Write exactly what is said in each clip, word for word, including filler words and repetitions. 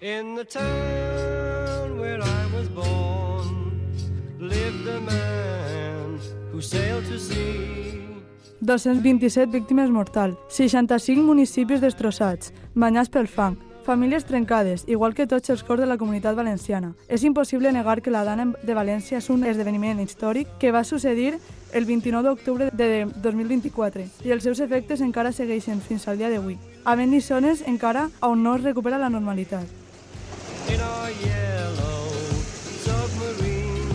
In the town where I was born lived a man who sailed to sea. dos-cents vint-i-set víctimes mortals, seixanta-cinc municipis destrossats, banyats pel fang, famílies trencades, igual que tots els cors de la Comunitat Valenciana. És impossible negar que la Dana de València és un esdeveniment històric que va succeir el vint-i-nou d'octubre de dos mil vint-i-quatre i els seus efectes encara segueixen fins al dia d'avui, havent-hi zones encara on no es recupera la normalitat. In our yellow submarine,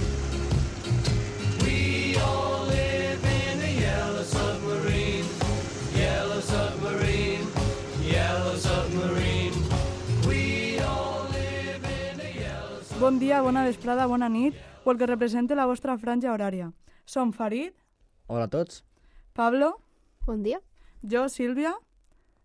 we all live in a yellow submarine, yellow submarine, yellow submarine. We all live in a yellow submarine. Bon dia, bona vesprada, bona nit, o el que represente la vostra franja horària. Som Farid. Hola a tots. Pablo. Bon dia. Jo, Sílvia.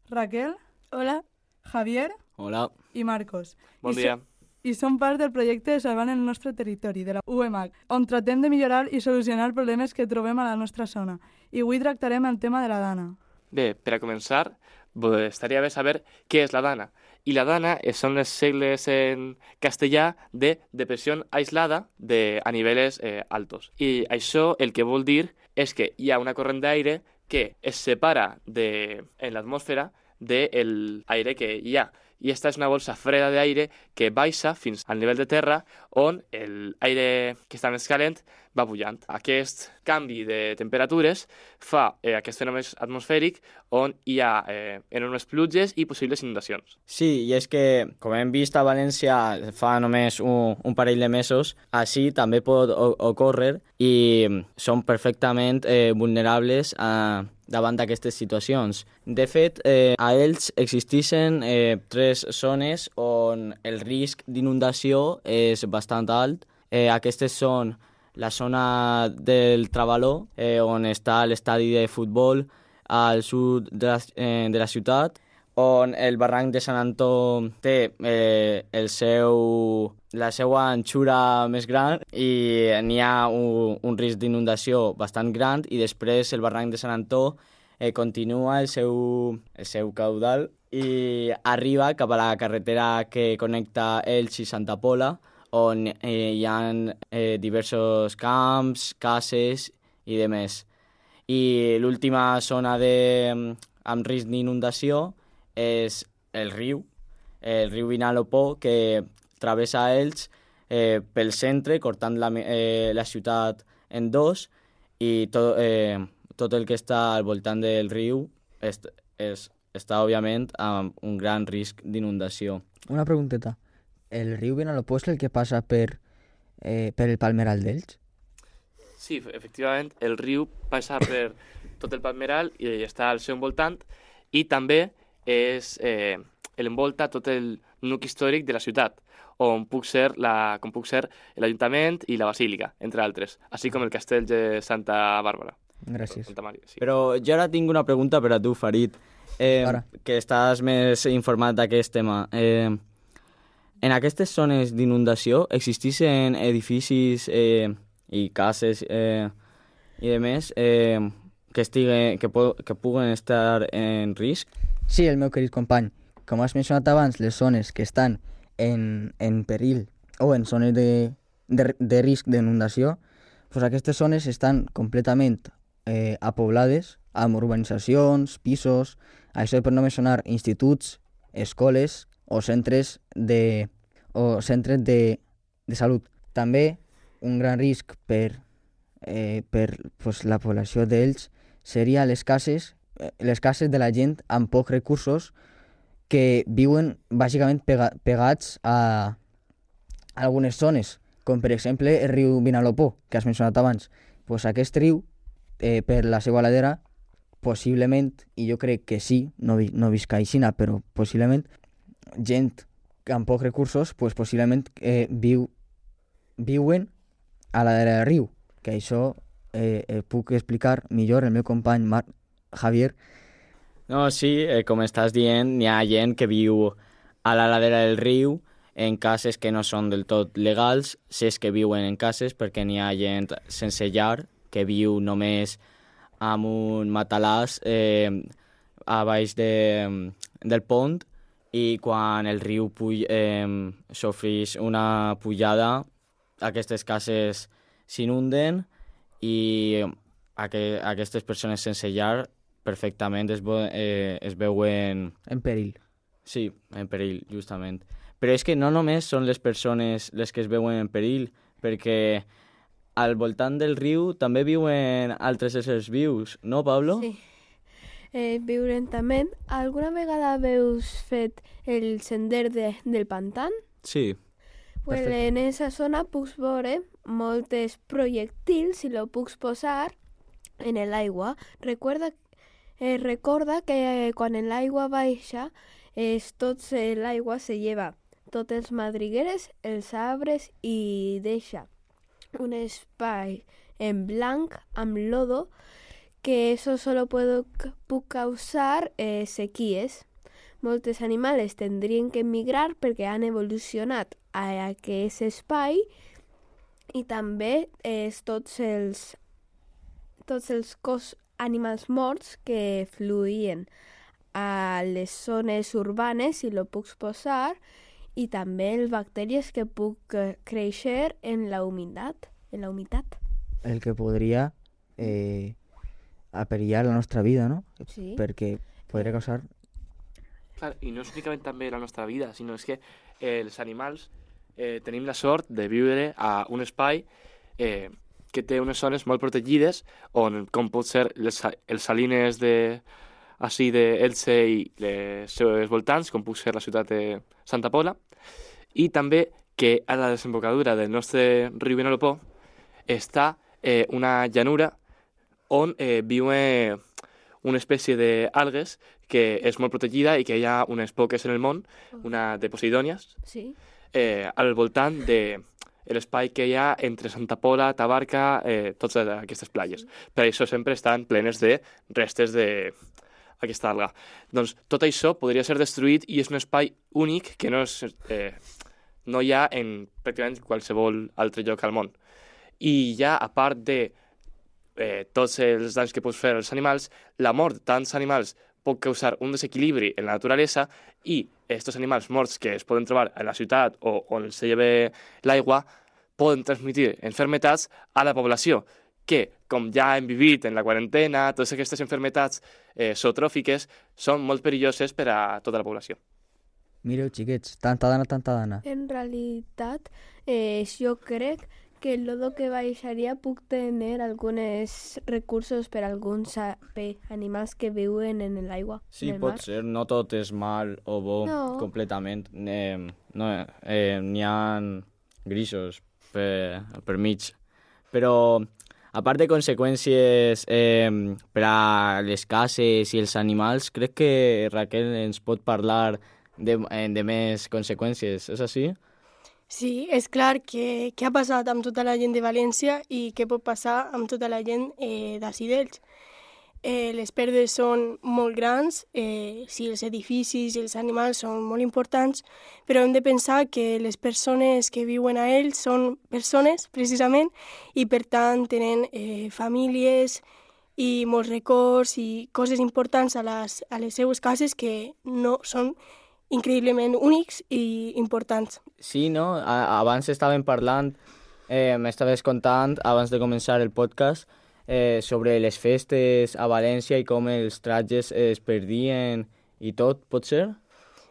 Raquel. Hola. Javier. Hola. I Marcos. Bon I dia. So, I som part del projecte Salvant el nostre territori, de la U E M A C, on tratem de millorar i solucionar problemes que trobem a la nostra zona. I avui tractarem el tema de la Dana. Bé, per a començar, pues, estaria bé saber què és la Dana. I la Dana són les sigles en castellà de depressió aislada de, a nivells eh, altos. I això el que vol dir és que hi ha una corrent d'aire que es separa de, en l'atmosfera del aire que hi ha. I esta és una bolsa freda d'aire que baixa fins al nivell de terra on l'aire que està més calent va pujant. Aquest canvi de temperatures fa eh, aquest fenomen atmosfèric on hi ha eh, enormes pluges i possibles inundacions. Sí, i és que, com hem vist a València fa només un, un parell de mesos, així també pot ocórrer i són perfectament eh, vulnerables a davant d'aquestes situacions. De fet, eh, a ells existeixen eh, tres zones on el risc d'inundació és bastant alt. Eh, aquestes són la zona del Travaló, eh, on està l'estadi de futbol al sud de la, eh, de la ciutat, on el barranc de Sant Antó té eh, el seu, la seva anxura més gran i n'hi ha un, un risc d'inundació bastant gran, i després el barranc de Sant Antó eh, continua el seu, el seu caudal i arriba cap a la carretera que connecta Elx i Santa Pola, on eh, hi ha eh, diversos camps, cases i demés. I l'última zona de, amb risc d'inundació és el riu, el riu Vinalopó, que travessa Elx eh, pel centre, cortant la, eh, la ciutat en dos, i tot, eh, tot el que està al voltant del riu és, és, està, òbviament, amb un gran risc d'inundació. Una pregunteta. El riu Vinalopó és el que passa per, eh, per el Palmeral d'Elx? Sí, efectivament, el riu passa per tot el Palmeral i està al seu voltant, i també és eh, l'envolta tot el nucli històric de la ciutat, on puc ser la, com puc ser l'Ajuntament i la Basílica, entre altres, així com el castell de Santa Bàrbara. Gràcies. Santa Maria, sí. Però jo ara tinc una pregunta per a tu, Farid, eh, Ara. que estàs més informat d'aquest tema. Eh, en aquestes zones d'inundació existeixen edificis eh, i cases eh, i demés eh, que, estiguen, que, po que puguen estar en risc? Sí, el meu querit company. Com has mencionat abans, les zones que estan en, en perill o en zones de, de, de risc d'inundació, pues aquestes zones estan completament eh, apoblades amb urbanitzacions, pisos, això per no mencionar instituts, escoles o centres de, o centres de, de salut. També un gran risc per, eh, per pues, la població d'ells seria les cases, les cases de la gent amb pocs recursos que viuen bàsicament pega, pegats a, a algunes zones, com per exemple el riu Vinalopó, que has mencionat abans. Pues aquest riu, eh, per la seva ladera, possiblement, i jo crec que sí, no, vi, no visc a Aixina, però possiblement, gent amb pocs recursos, pues possiblement eh, viu, viuen a la ladera del riu, que això eh, eh, puc explicar millor el meu company Marc Javier. No, sí, eh, com estàs dient, n'hi ha gent que viu a la ladera del riu en cases que no són del tot legals, si és que viuen en cases, perquè n'hi ha gent sense llar que viu només amb un matalàs eh, a baix de, del pont i quan el riu puj, eh, sofreix una pujada, aquestes cases s'inunden i aqu aquestes persones sense llar perfectament es, eh, es veuen... En perill. Sí, en perill, justament. Però és que no només són les persones les que es veuen en perill, perquè al voltant del riu també viuen altres éssers vius, no, Pablo? Sí. Eh, viurem també. Alguna vegada veus fet el sender de, del pantan? Sí. Pues Perfecte. en esa zona pucs veure moltes projectils i lo pucs posar en l'aigua. Recorda, eh, recorda que quan l'aigua baixa, es, tot l'aigua se lleva tots els madrigueres, els arbres i deixa un espai en blanc amb lodo que eso solo puedo, puc causar eh, sequies. Moltes animals tindrien que emigrar perquè han evolucionat a aquest espai i també eh, tots els tots els cos animals morts que fluïen a les zones urbanes i lo puc posar i també les bactèries que puc eh, créixer en la humitat, en la humitat. El que podria eh, aperillar la nostra vida, no? Sí. Perquè podria causar... Clar, i no és únicament també la nostra vida, sinó és que eh, els animals eh, tenim la sort de viure a un espai eh, que té unes zones molt protegides on, com pot ser les, els salines de, així d'Elche i les seus voltants, com pot ser la ciutat de Santa Pola, i també que a la desembocadura del nostre riu Vinalopó està eh, una llanura on eh, viuen una espècie d'algues que és molt protegida i que hi ha unes poques en el món, una de posidònies, Sí. eh, al voltant de l'espai que hi ha entre Santa Pola, Tabarca, eh, totes aquestes platges. Per això sempre estan plenes de restes d'aquesta alga. Doncs tot això podria ser destruït i és un espai únic que no, és, eh, no hi ha en pràcticament qualsevol altre lloc al món. I ja, a part de eh, tots els danys que pot fer als animals, la mort de tants animals pot causar un desequilibri en la naturalesa i aquests animals morts que es poden trobar a la ciutat o on se lleva l'aigua poden transmetre enfermetats a la població, que, com ja hem vivit en la quarantena, totes aquestes enfermetats eh, zootròfiques són molt perilloses per a tota la població. Mireu, xiquets, tanta dana, tanta dana. En realitat, eh, jo crec que el lodo que baixaria puc tenir alguns recursos per a alguns a- per animals que viuen en l'aigua. Sí, en el pot mar. ser, no tot és mal o bo No. completament. Eh, no, eh, n'hi ha grisos per, per mig. Però, a part de conseqüències eh, per a les cases i els animals, crec que Raquel ens pot parlar de, eh, de més conseqüències, és així? Sí, és clar que què ha passat amb tota la gent de València i què pot passar amb tota la gent eh, d'ací d'Elx. Eh, les pèrdues són molt grans, eh, sí, els edificis i els animals són molt importants, però hem de pensar que les persones que viuen a ells són persones, precisament, i per tant tenen eh, famílies i molts records i coses importants a les, a les seues cases que no són increïblement únics i importants. Sí, no? A abans estàvem parlant, eh, m'estaves contant, abans de començar el podcast, eh, sobre les festes a València i com els trajes es perdien i tot, pot ser?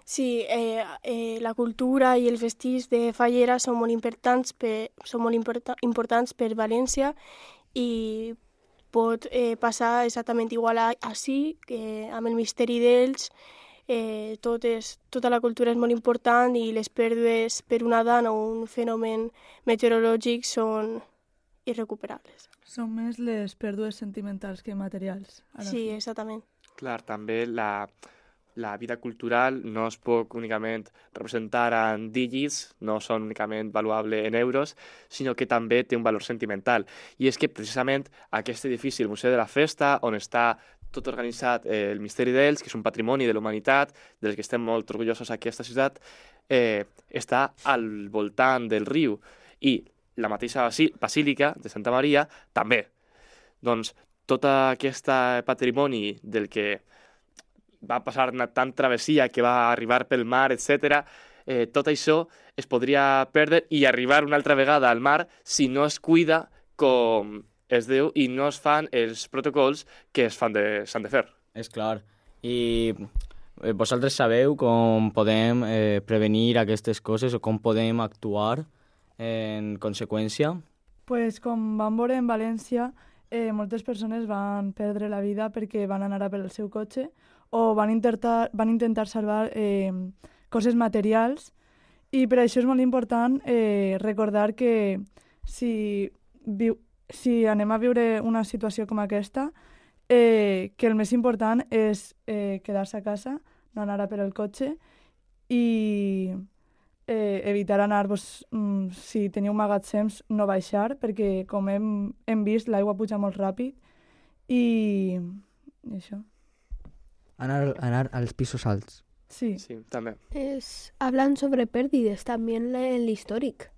Sí, eh, eh, la cultura i els vestits de fallera són molt importants per, són molt importa, importants per València i pot eh, passar exactament igual a, així, que amb el misteri d'ells. Eh, tot és, tota la cultura és molt important i les pèrdues per una dana o un fenomen meteorològic són irrecuperables. Són més les pèrdues sentimentals que materials. a la Sí, fi. exactament. Clar, també la, la vida cultural no es pot únicament representar en dígits, no són únicament valuables en euros, sinó que també té un valor sentimental. I és que precisament aquest edifici, el Museu de la Festa, on està tot organitzat eh, el Misteri d'Elx, que és un patrimoni de la humanitat, del que estem molt orgullosos aquí a aquesta ciutat, eh, està al voltant del riu. I la mateixa basí- basílica de Santa Maria també. Doncs tot aquest patrimoni del que va passar una tan travessia que va arribar pel mar, etcètera, eh, tot això es podria perdre i arribar una altra vegada al mar si no es cuida com es diu i no es fan els protocols que es fan de, s'han de fer. És clar. I eh, vosaltres sabeu com podem eh, prevenir aquestes coses o com podem actuar en conseqüència? Pues, com vam veure en València, eh, moltes persones van perdre la vida perquè van anar a per el seu cotxe o van intentar, van intentar salvar eh, coses materials, i per això és molt important eh, recordar que si, viu, si anem a viure una situació com aquesta, eh, que el més important és eh, quedar-se a casa, no anar a per el cotxe i eh, evitar anar, pues, mm, si teniu magatzems, no baixar, perquè com hem, hem vist l'aigua puja molt ràpid i, i això. Anar, anar als pisos alts. Sí. Sí, també. Es, hablan sobre pérdidas también en l'històric.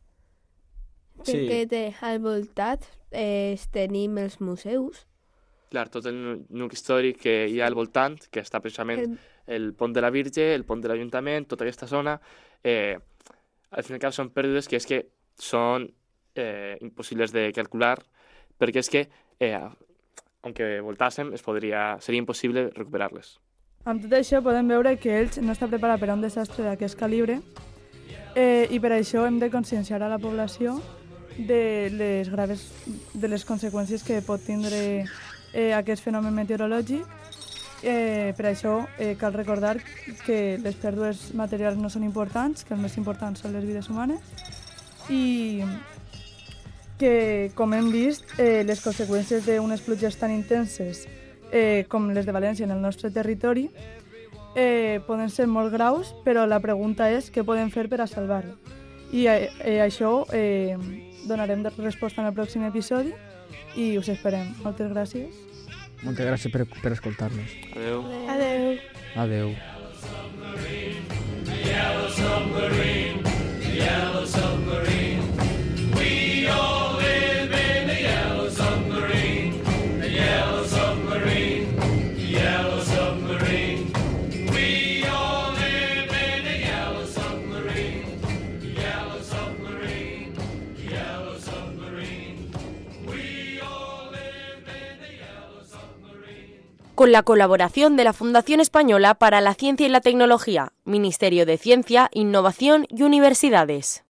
Sí. Perquè té, al voltat eh, tenim els museus. Clar, tot el nucli històric que hi ha al voltant, que està precisament El, el pont de la Virge, el pont de l'Ajuntament, tota aquesta zona, eh, al fin i al cap són pèrdues que és que són eh, impossibles de calcular, perquè és que, eh, aunque voltàssim, es podria, seria impossible recuperar-les. Amb tot això podem veure que ells no està preparat per a un desastre d'aquest calibre eh, i per això hem de conscienciar a la població de les graves de les conseqüències que pot tindre eh, aquest fenomen meteorològic. Eh, per això eh, cal recordar que les pèrdues materials no són importants, que el més important són les vides humanes i que, com hem vist, eh, les conseqüències d'unes pluges tan intenses eh, com les de València en el nostre territori eh, poden ser molt graus, però la pregunta és què podem fer per a salvar-lo. I eh, eh, això eh, donarem resposta en el pròxim episodi i us esperem. Moltes gràcies. Moltes gràcies per, per escoltar-nos. Adéu. Adeu. Adeu. Yellow submarine, yellow submarine. We all live in a yellow submarine, a yellow submarine, yellow submarine. We all live in a yellow submarine, yellow submarine, yellow submarine. We all live in a yellow submarine. Con la colaboración de la Fundación Española para la Ciencia y la Tecnología, Ministerio de Ciencia, Innovación y Universidades.